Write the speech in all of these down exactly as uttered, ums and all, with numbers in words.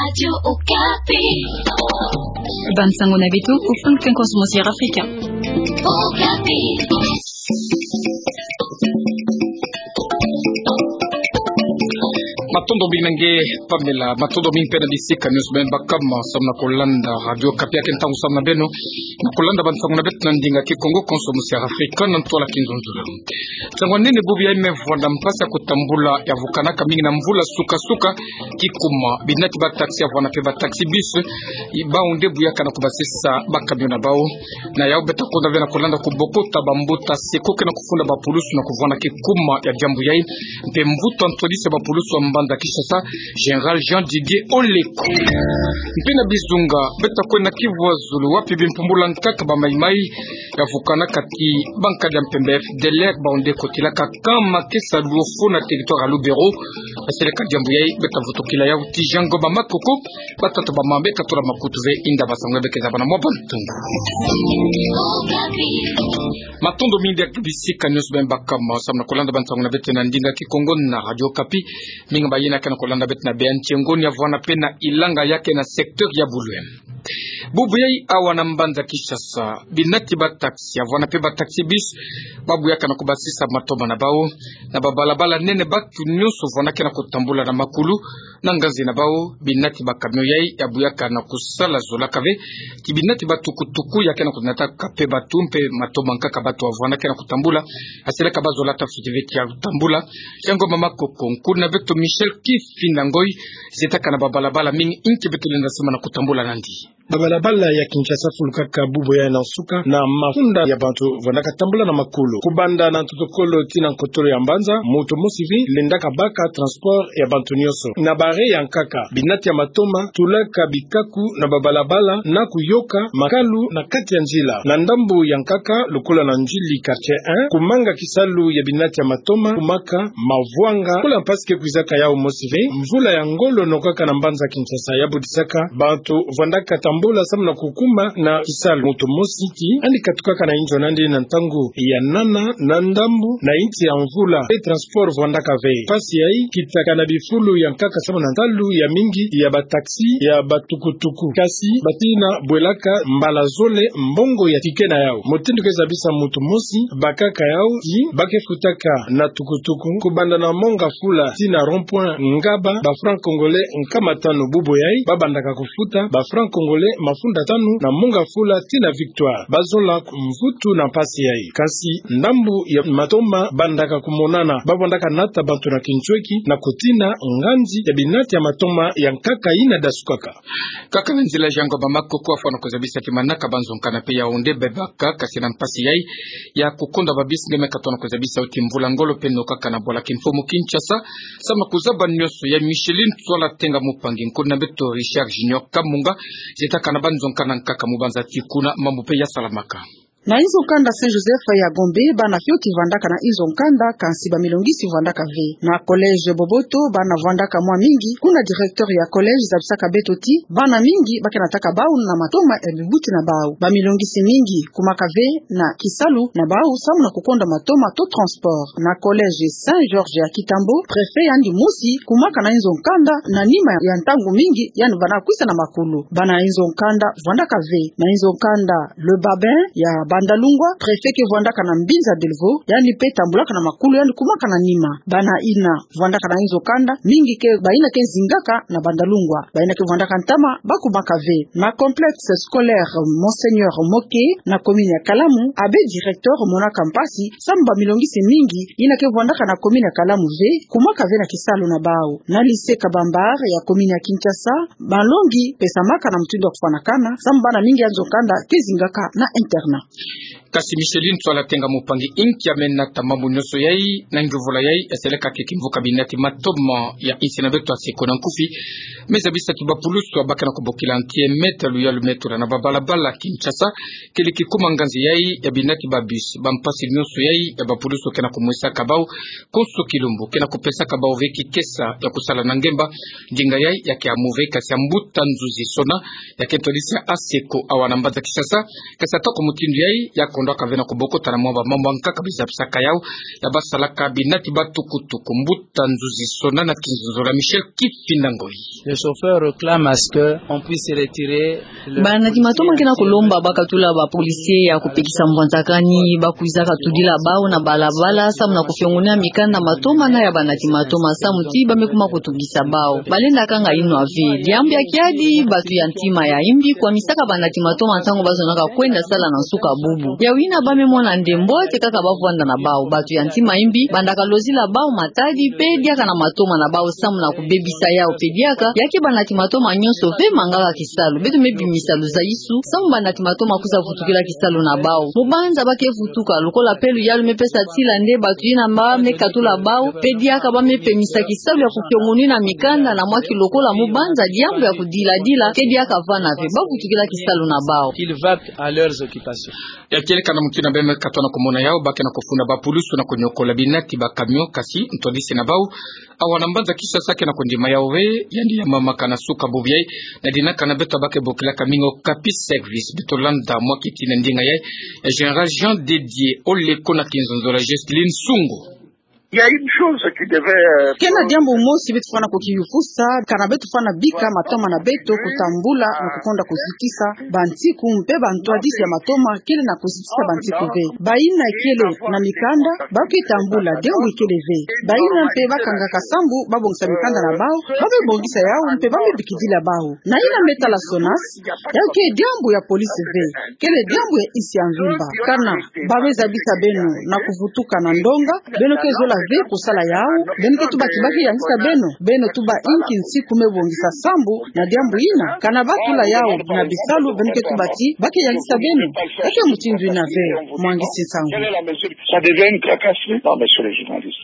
Radio Okapi. Bansango na beto, au fond du konso Monseigneur Africain. Okapi. Matondo mingi na nge Pamela, matondo mingi mpe na bisika nyonso beno baka ma samu na kolanda Radio Okapi. Yake ntangu samu na beno na kolanda bansango na beto na ndinga Kikongo, konso Monseigneur Africain, na ntwala Kinzonzolo. Nsangu nini bubu yayi me vwanda mpasi ya kutambula ya vukanaka mingi na mvula suka-suka, kikuma binati ba taxi ya vwanda mpe ba taxi bus, i bau nde buyaka na kubasisa ba camion na bau. Na yau beta konda ve na kolanda kubokota bambuta seko ke na kufunda bapulusu na kuvwanda kikuma ya diambu yayi, mpe mvutu ya ntwadisi ya bapulusu ya mbanza Kinshasa, Général Jean Didier Oleko. Mpe na bizunga, beta kwenda kivwa zulu wapi bimpumbula nkaka ba maï-maï ya vukanaka ti bankadi ya mpembe F D L R, bau nde kotilaka nkama ke salu ofo na territoire ya Lubero. Baseleka diambu yayi, beta vutukila yau ti Jean Ngoma Makoko, batata bamama beka tula makutu ve inda bansango ya beka zabana mwa bantu. Matondo mingi na bisika nyonso beno baka ma samu na kolanda bansango na beto na ndinga Kikongo na Radio Okapi. Mingi bayina ke na kolanda beto na Beya Ntiengo, Niavwana mpe na Ilanga, yake na secteur ya Bulwe. Bubu yayi awa na mbanza Kinshasa, binati ba taxi ya vwanda mpe ba taxi bus, ba buyaka na kubasisa matoma na bau na babalabala nene. Bantu nyonso vwandaka na kutambula na makulu na nganzi na bau. Binati ba camion yayi ya buyaka na kusala zolaka ve ti binati ba tukutuku ya ke na kunataka mpe bantu mpe matoma nkaka bantu ya vwandaka na kutambula. Aseleka ba zolaka fiti ve ti ya tambula. Jean Ngoma Makoko, nkulu na beto Michel Kifinda Ngoy, zietaka na babalabala mingi inki beto lenda sema na kutambula nandi. Babalabala ya Kinshasa fulukaka bubu yayi na nsuka na mafunda ya bantu vwandaka tambula na makulu. Kubanda na ntotokolo tii na nkotolo ya mbanza, muntu mosi ve lendaka baka transport ya bantu nyonso. Na barrière ya nkaka, binati ya matoma tulaka bikaku na babalabala na kuyoka makalu na kati ya nzila. Na ndambu ya nkaka, lokola na Ndjili quartier un, kumanga kisalu ya binati ya matoma kumaka mavwanga. Lokola mpasi ke kwizaka yau mosi ve, mvula ya ngolo nokaka na mbanza Kinshasa ya budisaka bantu vwandaka tambula samu na kukuma na kisalu. Muntu mosi ti yandi katukaka na inzo na yandi na ntangu ya nana na ndambu na insi ya mvula, mpe transport vwandaka ve. Mpasi yayi kitaka na bifulu ya nkaka samu na nsalu ya mingi ya ba taxi, ya ba tukutuku. Kasi batina bwelaka mbala zole mbongo ya ticket na yau. Mutindu ke zabisa muntu mosi, bakaka yau ti ba ke futaka na tukutuku kubanda na Mont Ngafula tii na rond-point Ngaba, ba francs congolais nkama tanu. Bubu yayi ba bandaka kufuta ba francs congolais mafunda tanu na Mont Ngafula tii na Victoire. Ba zola mvutu na mpasi yayi. Kasi ndambu ya matoma bandaka kumonana, ba vwandaka nata bantu na kinsweki na kutina nganzi ya binati ya matoma ya nkaka yina dasukaka. Kaka na nzila Jean Ngoma Makoko afwana kuzabisa ti manaka ba nzo nkanda mpe yau nde bebaka, kasi na mpasi yayi ya kukonda ba bus nge me katona kuzabisa yau ti mvula ngolo mpe nokaka na bwala kimfumu Kinshasa. Samu na kuzaba nyonso yayi, Micheline Tswala Tenga Mupangi, nkulu na beto Richard Junior Kamunga, zietaka na ba nzo nkanda nkaka mu banza ti kuna mambu mpe ya salamaka. Na inzo nkanda Saint Joseph ya Gombe, bana fioti vwandaka na inzo nkanda, kansi bamilongisi vwandaka ve. Na collège Boboto, bana vwandaka mwa mingi, kuna directeur ya collège zabisaka beto ti bana mingi ba ke nataka bau na matoma ya bibuti na bau. Bamilongisi mingi kumaka ve na kisalu na bau samu na kukonda matoma to transport. Na collège Saint Georges ya Kitambo, préfet yandi mosi kumaka na inzo nkanda na nima ya ntangu mingi yandi vana kwisa na makulu. Bana inzo nkanda vwandaka ve. Na inzo nkanda Le Babin ya Bandalungwa, préfet ke vwandaka na Mbinza Delvaux, yandi mpe tambulaka na makulu, yandi kumaka na nima. Bana yina vwandaka na inzo nkanda, mingi ke bayina ke zingaka na Bandalungwa. Bayina ke vwandaka ntama, ba kumaka ve. Na complexe scolaire Monseigneur Moke, na commune ya Kalamu, abbé directeur monaka mpasi samu bamilongisi mingi yina ke vwandaka na commune ya Kalamu ve, kumaka ve na kisalu na bau. Na lycée Kabambar ya commune ya Kinshasa, malongi pesamaka na mutindu ya kufwanakana, samu bana mingi ya nzo nkanda ke zingaka na internat. Kasi Micheline Tswala Tenga Mupangi, inki ya me nata mambu nyonso yayi na ngiuvula yayi? Eseleka ke kimvuka binati matoma ya insi na beto ya seko na nkufi me zabisa ti bapulusu ba ke na kubokila nti e meta luyalu me tula na babalabala Kinshasa, kele kikuma nganzi yayi ya binati ba bus, bampasi nyonso yayi ya bapulusu ke na kumwisaka bau konso kilumbu, ke na kupesaka bau ve kikesa ya kusala na ngemba. Ndinga yayi ya ke amu ve, kasi ya mbuta nzuzi sona, ya ke ntwadisi ya aseko awa na mbanza Kinshasa. Kasi ata ko mutindu yayi, ya ko Kondo kave na kobokota na mwa ba mambu ankaka biza bisaka yau ya basalaka binati ba tukutuku. Mbuta nzuzi sona na kinzonzolo ya Michel Kifinda Ngoi. Le chauffeur réclame à ce que on puisse retirer le... Banati matoma ke na kolomba bakatula ba policiers ya kopekisa mvwanzakani ba kwizaka tudila bau na balabala samu na kofiongonina mikanda matoma na ya banati matoma samu ti ba me kuma kotungisa bau. Balenda kanga inwa ve. Diambu ya kiadi, batu ya ntima ya imbi kwamisaka banati matoma ntangu bazonaka kwenda sala na nsuka bubu. Ya wina ba me mona nde mbote kaka ba vwanda na bau. Batu ya ntima imbi bandaka lozila bau matadi pe diaka na matoma na bau samu na kobebisa yau pe diaka, ya ke banati matoma nyonso ve mangaka kisalu. Beto me bimisa luzaisu samu banati matoma kwiza vutukila kisalu na bau. Mubanza ba ke vutuka, lokola pe luyalu me pesa tila nde batu yina ba me katula bau pe diaka ba me pemisa kisalu ya kofiongonina mikanda na mwa ki lokola mubanza diambu ya kodiladila ke diaka vana ve, ba vutukila kisalu na bau. Qu'ils vaquent à leurs occupations. Ya kele kana mutu yina ba me katwa na komona yau, ba ke na kofunda ba pulusu na konyokola binati ba camion, kasi ntwadisi na bau awa na mbanza Kinshasa ke na kondima yau ve. Yandi ya mamaka na suka bubu yai na dina kana beto ba ke bokilaka mingi Okapi Service. Beto landa mwa kieti na ndinga yai ya Général Jean Didier Oleko na kinzonzolo ya Jocelyne Sungu. Il y a une chose qui devait, euh, ke na diambu mosi beto fwana kokiyufusa, kana beto fwana bika matoma na beto kotambula na kokonda kozitisa bansiku mpe bantwadisi ya matoma kele na kozitisa bansiku ve. Bayina kele na mikanda, ba ke tambula, diambu ikele ve. Bayina mpe ba kangaka sambu ba bongisa mikanda na bau, ba me bongisa yau mpe ba me bikidila bau. Na yina me tala SONAS, yau ke diambu ya police ve, kele diambu ya insi ya mvimba. Kana ba me zabisa beno na kovutuka na ndonga, beno ke zola ve kosala yau, beno ke tuba ti ba ke yangisa beno, beno tuba inki nsiku me bongisa sambu na diambu yina. Kana ba tula yau na bisalu, beno ke tuba ti ba ke yangisa beno. Eke mutindu yina ve, mwangisi nsangu. Ça devient une tracasserie. Non, messieurs les journalistes.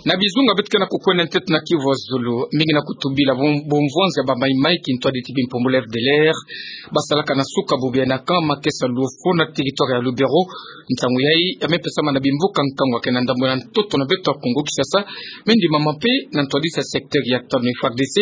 Na bizunga beto ke na kokwenda ntete na Kivu ya Zulu, mingi na kotubila bom-, bomvonza ba maimai kintwadi ti bimpumbulu FDLR basalaka na suka bubu yai na camp Makesa Luofo na territoire ya Lubero. Nsangu yai ya me pesama na bimvuka nkangu ya ke na ndambu na ntoto na beto ya Kongo Kinshasa, me ndimama mpe na ntwadisi ya secteur ya tanu FARDC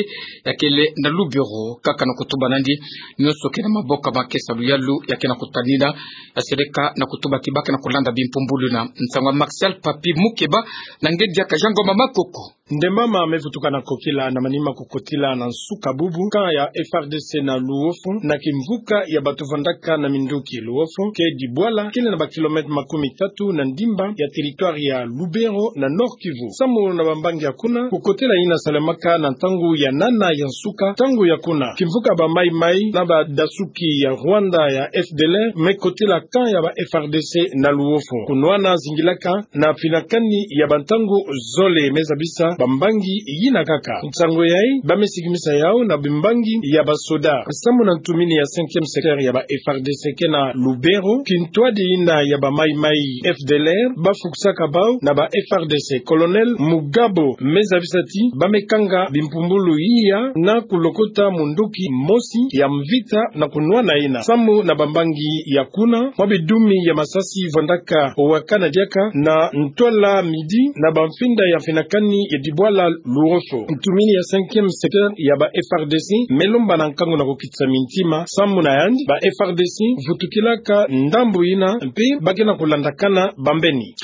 ya kele na Lubero. Kaka na kotuba nandi, nyonso ke na maboko ya Makesa Luyalu ya ke na kotanina ya seleka na kotuba ti ba ke na kolanda bimpumbulu yina. Nsangu ya Martial Papi Mukeba na ngedi ya Kajango Mama Koko. Nde mama me vutuka na kokila na manima kokotila na nsuka bubu camp ya FARDC na Luofo, na kimvuka ya bato vandaka na minduki. Luofo ke dibwala kele na ba kilomètre makumi tatu na ndimba ya territoire ya Lubero na Nord-Kivu. Samu na bambangi ya kuna, kokotela yina salemaka na ntangu ya nana ya nsuka, ntangu ya kuna kimvuka ba maimai na badasuki ya Rwanda ya FDLR me kotela camp ya ba FARDC na Luofo. Kunwana zingilaka na finakani ya bantangu zole, me zabisa bambangi yina kaka. Nsangu yai ba me sikimisa yau na bimbangi ya basoda. Samu na ntumini ya cinquième secteur ya ba FARDC ke na Lubero, kintwadi yina ya ba maimai FDLR ba fukusaka bau na ba FARDC. Colonel Mugabo me zabisa ti ba me kanga bimpumbulu iya na kulokota munduki mosi ya mvita na kunwana yina. Samu na bambangi ya kuna, mwa bidumi ya masasi vandaka wakana diaka na ntwala midi na bamfinda ya finakani ya dibwala Luofo. Ntumini ya cinquième secteur ya ba FARDC me lomba na nkangu na kokitisa mintima, samu na yandi ba FARDC vutukilaka ndambu yina mpe ba ke na kolandakana bambeni.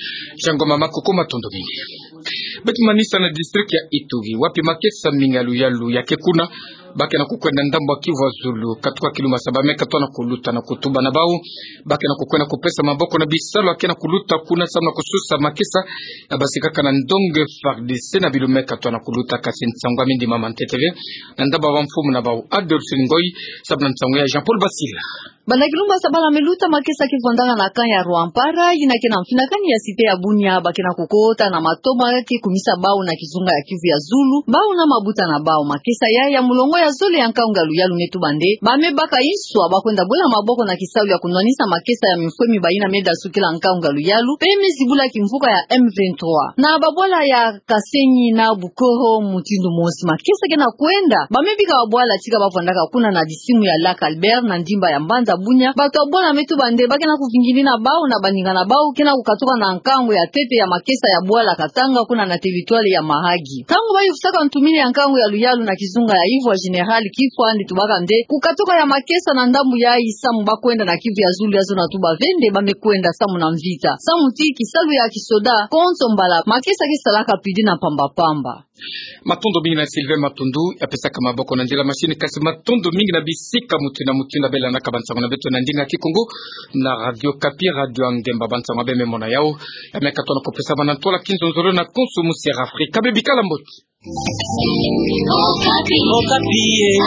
Jango Mama Koko, matondo mingi. Beto manisa na district ya Ituri, wapi makesa mingi ya luyalu ya ke kuna. Ba ke na kokwenda ndambu ya Kivu ya Zulu, katuka Kilumasa, ba me katwa na koluta na kotuba na bau. Ba ke na kokwenda kopesa maboko na bisalu ya ke na koluta kuna samu na kososa makesa ya basikaka na ndonge FARDC na bilo me katwa na koluta, kasi nsangu ya me ndimama ntete ve na ndambu ya bamfumu na bau. Adolphe Ngoyi, samu na nsangu ya Jean-Paul Basila. Banda Kilumasa bala me luta, makesa ke vandaka na camp ya Rwampara, yina ke na mfinakani ya cité ya Bunia, ba ke na kokota na matoma ke kumisa bau na kizunga ya Kivu ya Zulu, bau na mabuta na bau. Makesa yai ya mulongo ya zole ya nkangu ya luyalu me tuba nde ba me baka inswa ba kwenda bwela maboko na kisalu ya kunwanisa makesa ya mifwemi ba yina me dasukila nkangu ya luyalu, pe me zibula kimvuka ya M vingt-trois. Na babwala ya Kasenyi na Bukoro mutindu mosi makesa ke na kwenda. Ba me bika babwala tika ba vandaka kuna na disimu ya Lac Albert na ndimba ya mbanza Bunia, bato ya bwala me tuba nde ba ke na kuvingini na bau na baninga na bau ke na kukatuka na nkangu ya ntete ya makesa ya bwala Katanga kuna na territoire ya Mahagi. Ntangu ba yufutaka ntumini ya nkangu ya luyalu na kizunga ya Ivoire, Général Kifoa, nde tubaka nde kukatuka ya makesa na ndambu yayi samu ba kwenda na kivu ya zulu ya zona tuba ve nde ba me kwenda samu na mvita. Samu ti kisalu ya kisoda, konso mbala makesa ke salaka pidi na mpamba-mpamba. Matondo mingi na Sylvain Matundu, ya pesaka maboko na nzila machine, kasi matondo mingi na bisika mutindu na mutindu ya belanaka bansangu na beto na ndinga Kikongo na Radio Okapi, Radio ya Ngemba. Bansangu ya bê me mona yawu, ya me katono ko pesama na ntola kinzonzolo na konso musi ya Afrika. Bê bikala mbote. Okapi. Okapi, eh.